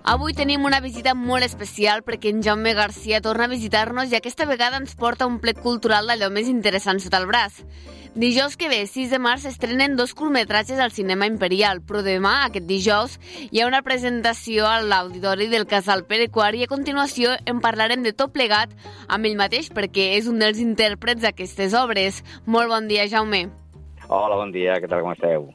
Avui tenim una visita molt especial perquè en Jaume Garcia torna a visitar-nos i aquesta vegada ens porta un plet cultural d'allò més interessant sota el braç. Dijous que ve, 6 de març, estrenen 2 curtmetratges al Cinema Imperial, però demà, aquest dijous, hi ha una presentació a l'Auditori del Casal Pere IV i a continuació en parlarem de tot plegat amb ell mateix perquè és un dels intèrprets d'aquestes obres. Molt bon dia, Jaume. Hola, bon dia, què tal, com esteu?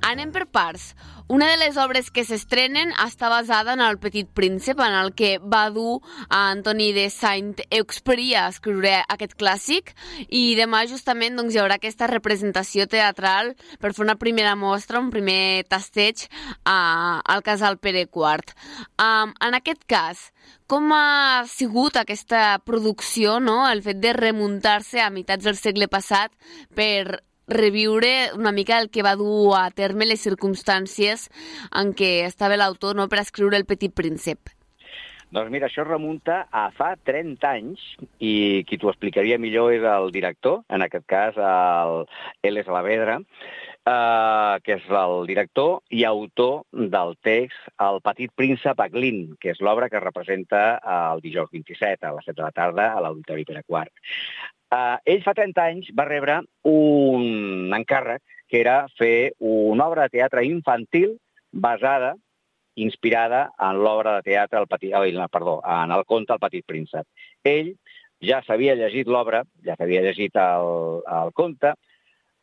Anem per parts. Una de les obres que s'estrenen està basada en El Petit Príncep, en el que va dur a Antoni de Saint-Exupéry a escriure aquest clàssic, i demà justament hi haurà aquesta representació teatral per fer una primera mostra, un primer tasteig al Casal Pere IV. En aquest cas, com ha sigut aquesta producció, no? El fet de remuntar-se a meitats del segle passat per reviure una mica el que va dur a terme les circumstàncies en què estava l'autor, no, per escriure El Petit Príncep. Doncs mira, això es remunta a fa 30 anys i qui t'ho explicaria millor és el director, en aquest cas Eles Alavedra, que és el director i autor del text El Petit Príncep a Glin, que és l'obra que es representa el dijous 27 a les 7 de la tarda a l'Auditori Pere IV. Ell fa 30 anys va rebre un encàrrec que era fer una obra de teatre infantil basada, inspirada en l'obra de teatre, en el conte El Petit Príncep. Ell ja s'havia llegit l'obra, ja s'havia llegit el conte,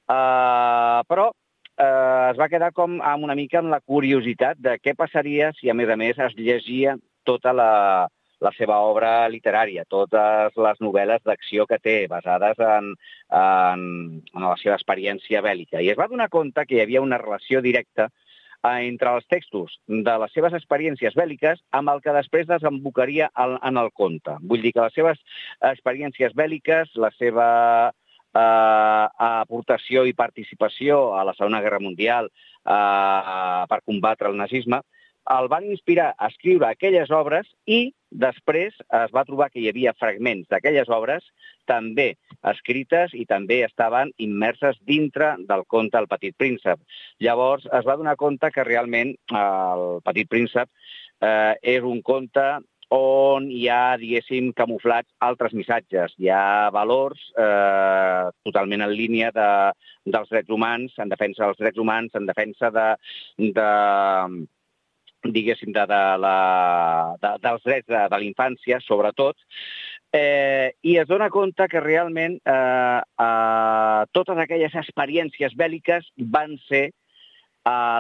però es va quedar com amb una mica amb la curiositat de què passaria si, a més, es llegia tota la seva obra literària, totes les novel·les d'acció que té, basades en la seva experiència bèl·lica. I es va donar compte que hi havia una relació directa entre els textos de les seves experiències bèl·liques amb el que després desembocaria en el conte. Vull dir que les seves experiències bèl·liques, la seva aportació i participació a la Segona Guerra Mundial per combatre el nazisme, el van inspirar a escriure aquelles obres i després es va trobar que hi havia fragments d'aquelles obres també escrites i també estaven immerses dintre del conte El Petit Príncep. Llavors es va donar compte que realment El Petit Príncep és un conte on hi ha, diguéssim, camuflats altres missatges. Hi ha valors totalment en línia dels drets humans, en defensa dels drets humans, en defensa diguéssim, dels drets de la infància, sobretot, i es dona compte que realment totes aquelles experiències bèl·liques van ser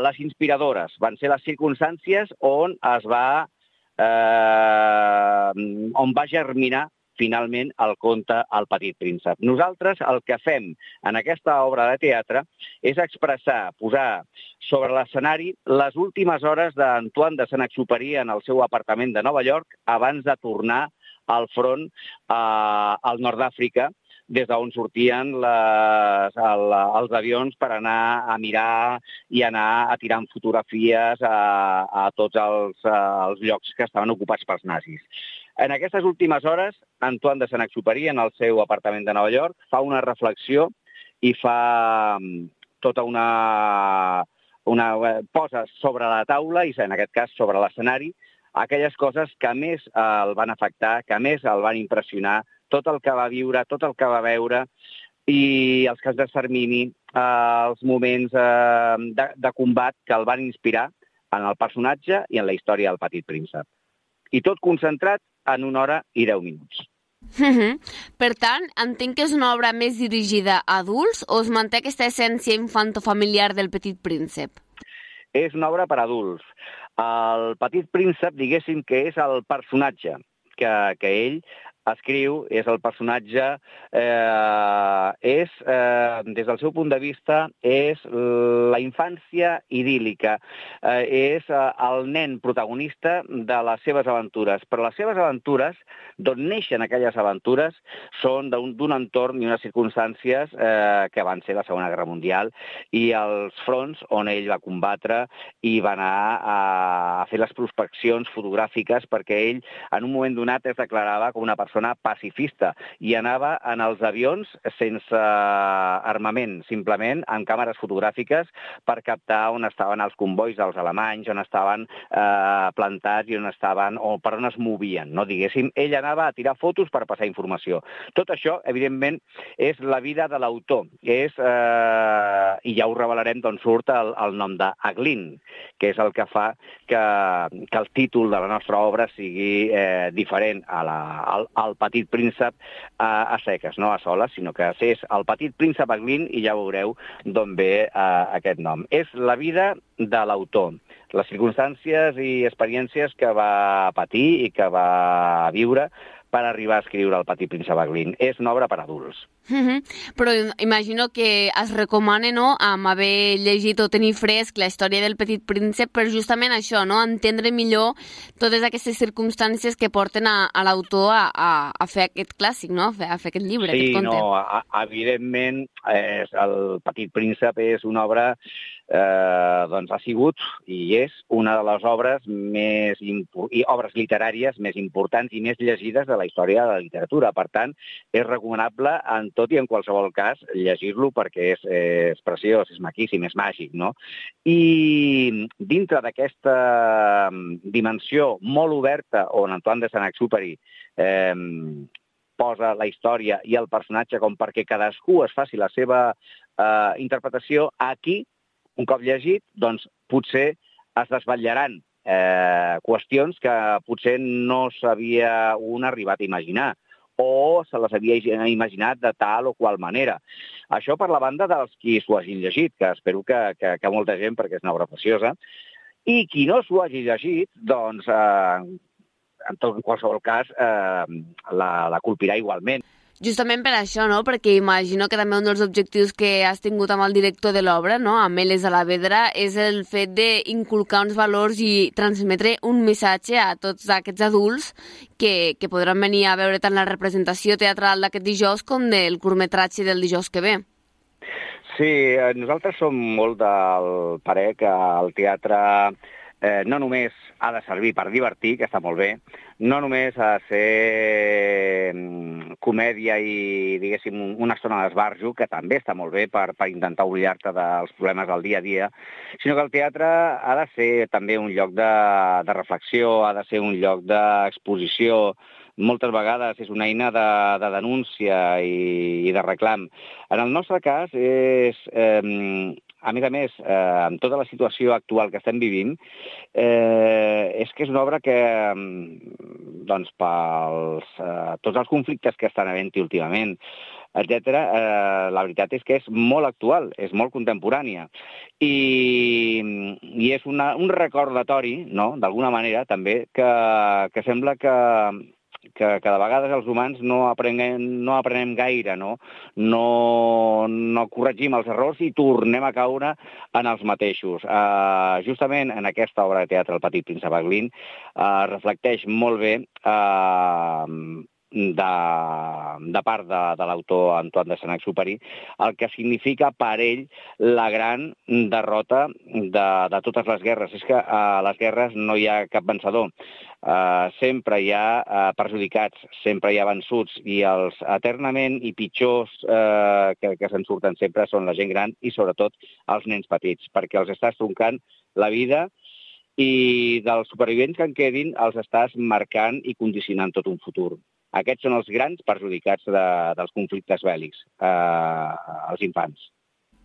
les inspiradores, van ser les circumstàncies on va germinar finalment el conte El Petit Príncep. Nosaltres el que fem en aquesta obra de teatre és expressar, posar sobre l'escenari les últimes hores d'Antoine de Saint-Exupéry en el seu apartament de Nova York abans de tornar al front al nord d'Àfrica, des d'on sortien els avions per anar a mirar i anar a tirar fotografies a tots els llocs que estaven ocupats pels nazis. En aquestes últimes hores, Antoine de Saint-Exupéry, en el seu apartament de Nova York, fa una reflexió i fa tota posa sobre la taula, i en aquest cas sobre l'escenari, aquelles coses que més el van afectar, que més el van impressionar, tot el que va viure, tot el que va veure, i els camps d'extermini, els moments de combat que el van inspirar en el personatge i en la història del Petit Príncep. I tot concentrat en 1 hora i 10 minuts. Per tant, entenc que és una obra més dirigida a adults o es manté aquesta essència infantofamiliar del Petit Príncep? És una obra per a adults. El Petit Príncep, diguéssim que és el personatge que ell escriu, és el personatge, des del seu punt de vista, és la infància idíl·lica, és el nen protagonista de les seves aventures. Però les seves aventures, d'on neixen aquelles aventures, són d'un entorn i unes circumstàncies que van ser la Segona Guerra Mundial i els fronts on ell va combatre i va anar a fer les prospeccions fotogràfiques perquè ell, en un moment donat, es declarava com una persona persona pacifista i anava en els avions sense armament, simplement amb càmeres fotogràfiques per captar on estaven els convois dels alemanys, on estaven plantats i on estaven, o per on es movien, no? Diguéssim, ell anava a tirar fotos per passar informació. Tot això, evidentment, és la vida de l'autor. I ja ho revelarem d'on surt el nom d'Aglin, que és el que fa que el títol de la nostra obra sigui diferent al Petit Príncep a seques, no a soles, sinó que és el Petit Príncep Aglin i ja veureu d'on ve aquest nom. És la vida de l'autor, les circumstàncies i experiències que va patir i que va viure per arribar a escriure El Petit Príncep Aglin. És una obra per adults. Però imagino que es recomana, no?, amb haver llegit o tenir fresc la història del Petit Príncep per justament això, no?, entendre millor totes aquestes circumstàncies que porten a l'autor a fer aquest clàssic, no?, a fer aquest llibre, aquest conte. Sí, no, evidentment, El Petit Príncep és una obra ha sigut i és una de les obres obres literàries més importants i més llegides de la història de la literatura. Per tant, és recomanable en tot i en qualsevol cas llegir-lo perquè és preciós, és maquíssim, és màgic, no? I dintre d'aquesta dimensió molt oberta on Antoine de Saint-Exupéry posa la història i el personatge com perquè cadascú es faci la seva interpretació, aquí, un cop llegit, doncs potser es desvetllaran qüestions que potser no s'havia un arribat a imaginar o se les havia imaginat de tal o qual manera. Això per la banda dels qui s'ho hagin llegit, que espero que molta gent, perquè és una obra preciosa, i qui no s'ho hagi llegit, doncs, en qualsevol cas, la colpirà igualment. Justament per això, no?, perquè imagino que també un dels objectius que has tingut amb el director de l'obra, no?, amb Eles Alavedra, és el fet d'inculcar uns valors i transmetre un missatge a tots aquests adults que podran venir a veure tant la representació teatral d'aquest dijous com del curtmetratge del dijous que ve. Sí, nosaltres som molt del parer que el teatre no només ha de servir per divertir, que està molt bé, no només ha de ser comèdia i, diguéssim, una estona d'esbarjo, que també està molt bé per intentar oblidar-te dels problemes del dia a dia, sinó que el teatre ha de ser també un lloc de reflexió, ha de ser un lloc d'exposició, moltes vegades és una eina de denúncia i de reclam. En el nostre cas és... A més, amb tota la situació actual que estem vivint, és que és una obra que, doncs, tots els conflictes que estan havent-hi últimament, etc., la veritat és que és molt actual, és molt contemporània. I és un recordatori, no?, d'alguna manera, també, que sembla que de vegades els humans no aprenem gaire, no corregim els errors i tornem a caure en els mateixos. Justament en aquesta obra de teatre, El Petit Príncep Aglin, reflecteix molt bé de part de l'autor Antoine de Saint-Exupéry el que significa per ell la gran derrota de totes les guerres. És que a les guerres no hi ha cap vencedor. Sempre hi ha perjudicats, sempre hi ha vençuts, i els eternament i pitjors que se'n surten sempre són la gent gran i sobretot els nens petits, perquè els estàs troncant la vida i dels supervivents que en quedin els estàs marcant i condicionant tot un futur. Aquests són els grans perjudicats dels conflictes bèl·lics, els infants.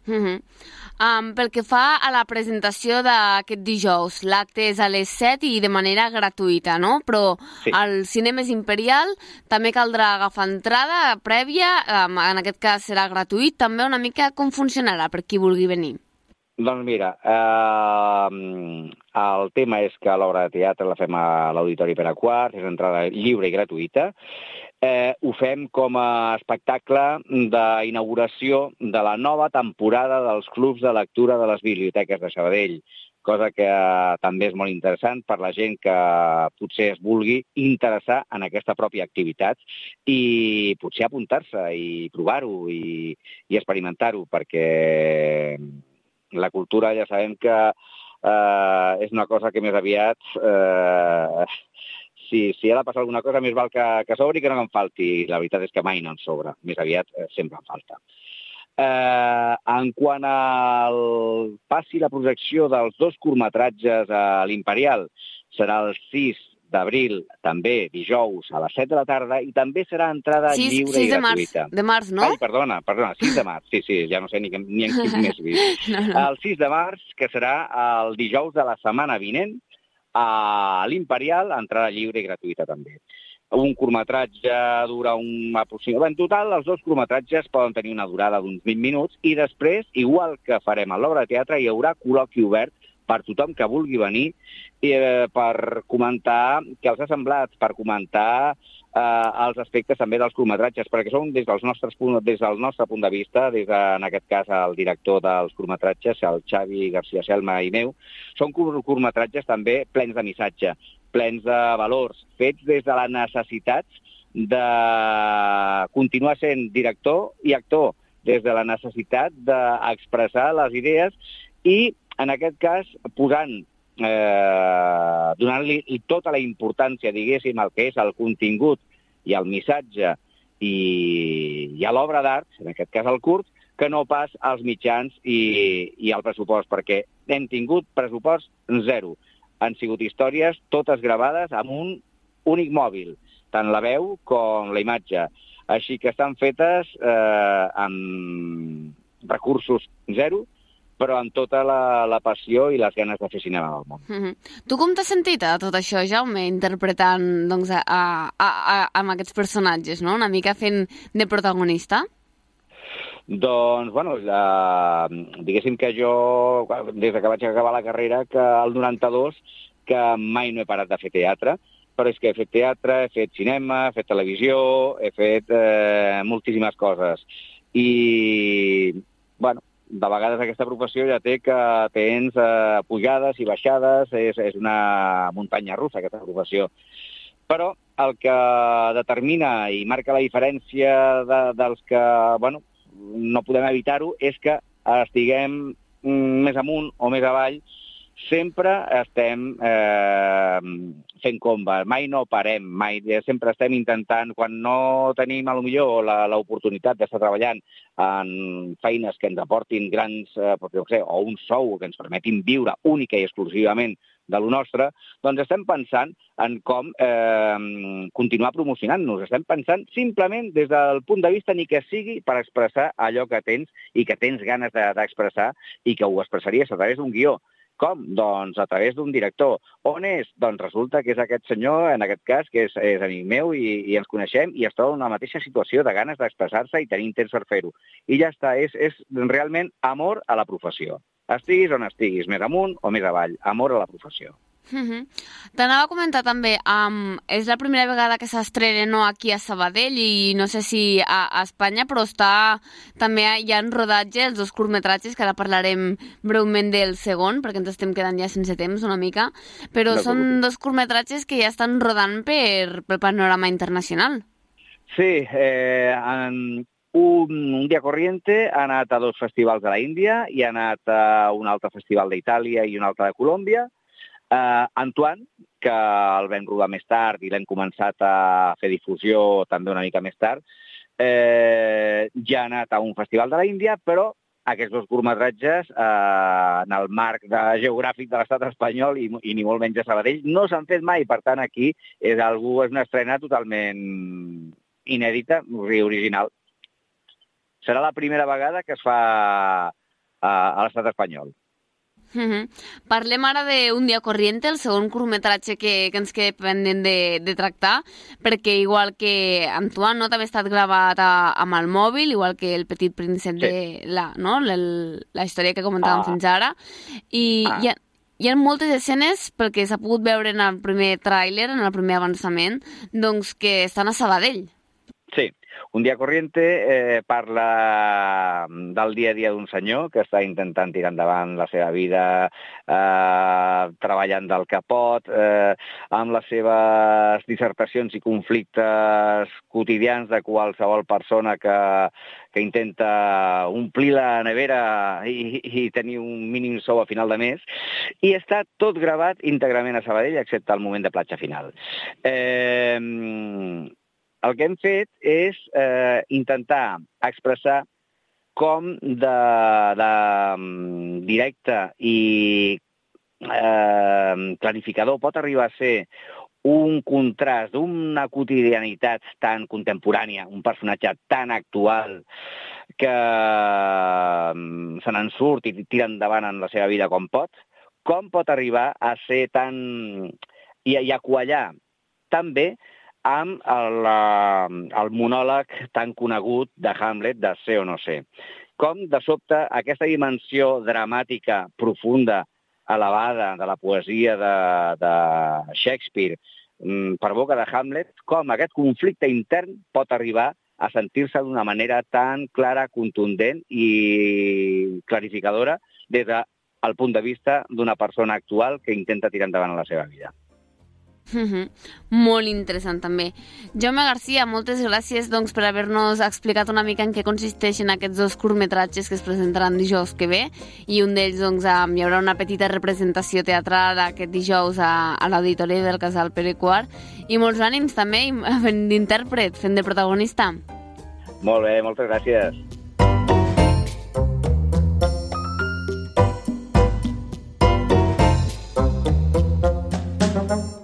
Pel que fa a la presentació d'aquest dijous, l'acte és a les 7 i de manera gratuïta, no? Però sí. Al Cinemes Imperial també caldrà agafar entrada prèvia, en aquest cas serà gratuït, també una mica com funcionarà per qui vulgui venir. Doncs mira, el tema és que l'obra de teatre la fem a l'Auditori Pere IV, és entrada lliure i gratuïta. Ho fem com a espectacle d'inauguració de la nova temporada dels clubs de lectura de les biblioteques de Sabadell, cosa que també és molt interessant per la gent que potser es vulgui interessar en aquesta pròpia activitat i potser apuntar-se i provar-ho i experimentar-ho, perquè la cultura ja sabem que és una cosa que més aviat si ha de passar alguna cosa, més val que sobri que no em falti. La veritat és que mai no en sobra. Més aviat sempre en falta. En quant al passi la projecció dels 2 curtmetratges a l'Imperial, serà el 6 d'abril, també dijous a les 7 de la tarda, i també serà entrada lliure i gratuïta. 6 de març, no? Ai, perdona, 6 de març, sí, ja no sé ni en quin mes vist. No. El 6 de març, que serà el dijous de la setmana vinent, a l'Imperial, entrada lliure i gratuïta també. Un curtmetratge dura aproximadament... En total, els 2 curtmetratges poden tenir una durada d'uns 20 minuts i després, igual que farem a l'obra de teatre, hi haurà col·loqui obert per tothom que vulgui venir per comentar què els ha semblat, per comentar els aspectes també dels curtmetratges, perquè són des del nostre punt de vista, en aquest cas el director dels curtmetratges, el Xavi García Selma i meu, són curtmetratges també plens de missatge, plens de valors, fets des de la necessitat de continuar sent director i actor, des de la necessitat d'expressar les idees i, en aquest cas, donant-li tota la importància, diguéssim, al que és el contingut i el missatge i a l'obra d'art, en aquest cas el curt, que no pas als mitjans i al pressupost, perquè hem tingut pressupost 0. Han sigut històries totes gravades amb un únic mòbil, tant la veu com la imatge. Així que estan fetes amb recursos 0, però amb tota la passió i les ganes de fer cinema al món. Tu com t'has sentit a tot això, Jaume, interpretant doncs, amb aquests personatges, no? Una mica fent de protagonista? Doncs, bueno, diguéssim que jo, des que vaig acabar la carrera, que el 92, que mai no he parat de fer teatre, però és que he fet teatre, he fet cinema, he fet televisió, he fet moltíssimes coses. I, bueno, de vegades aquesta professió ja té que tens pujades i baixades, és una muntanya russa aquesta professió. Però el que determina i marca la diferència dels que, bueno, no podem evitar-ho, és que estiguem més amunt o més avall, sempre estem fent comba, mai no parem, sempre estem intentant, quan no tenim potser l'oportunitat d'estar treballant en feines que ens aportin grans, o un sou que ens permetin viure única i exclusivament de lo nostre, doncs estem pensant en com continuar promocionant-nos. Estem pensant simplement des del punt de vista ni que sigui per expressar allò que tens i que tens ganes d'expressar i que ho expressaries a través d'un guió. Com? Doncs a través d'un director. On és? Doncs resulta que és aquest senyor, en aquest cas, que és amic meu i ens coneixem i es troba en la mateixa situació de ganes d'expressar-se i tenir temps per fer-ho. I ja està, és realment amor a la professió. Estiguis on estiguis, més amunt o més avall, amor a la professió. T'anava a comentar també, és la primera vegada que s'estrena aquí a Sabadell i no sé si a Espanya, però també hi ha en rodatge els 2 curtmetratges, que ara parlarem breument del segon, perquè ens estem quedant ja sense temps una mica, però són 2 curtmetratges que ja estan rodant pel panorama internacional. Sí, Un Día Corriente ha anat a 2 festivals de la Índia i ha anat a un altre festival d'Itàlia i un altre de Colòmbia. Antoine, que el vam rodar més tard i l'hem començat a fer difusió també una mica més tard, ja ha anat a un festival de la Índia, però aquests 2 curtmetratges, en el marc geogràfic de l'estat espanyol i ni molt menys de Sabadell, no s'han fet mai. Per tant, aquí és una estrena totalment inèdita i original. Serà la primera vegada que es fa a l'estat espanyol. Parlem ara d'Un Día Corriente, el segon curtmetratge que ens queda pendent de tractar, perquè igual que Antoine, no, també ha estat gravat amb el mòbil, igual que El Petit Príncep, de la història que comentàvem fins ara, i hi ha moltes escenes, pel que s'ha pogut veure en el primer tràiler, en el primer avançament, doncs que estan a Sabadell. Sí, Un dia corriente parla del dia a dia d'un senyor que està intentant tirar endavant la seva vida, treballant del capot, amb les seves dissertacions i conflictes quotidians de qualsevol persona que intenta omplir la nevera i tenir un mínim sou a final de mes, i està tot gravat íntegrament a Sabadell, excepte el moment de platja final. El que hem fet és intentar expressar com de directe i clarificador pot arribar a ser un contrast d'una quotidianitat tan contemporània, un personatge tan actual que se n'en surt i tira endavant en la seva vida com pot arribar a ser tan... i a quallar tan bé amb el monòleg tan conegut de Hamlet, de ser o no ser. Com, de sobte, aquesta dimensió dramàtica, profunda, elevada de la poesia de Shakespeare per boca de Hamlet, com aquest conflicte intern pot arribar a sentir-se d'una manera tan clara, contundent i clarificadora des del punt de vista d'una persona actual que intenta tirar endavant la seva vida. Molt interessant també. Jaume Garcia, moltes gràcies per haver-nos explicat una mica en què consisteixen aquests dos curtmetratges que es presentaran dijous que ve, i un d'ells hi haurà una petita representació teatral aquest dijous a l'Auditori del Casal Pere IV, i molts ànims també fent d'intèrpret, fent de protagonista. Molt bé, moltes gràcies. Thank you.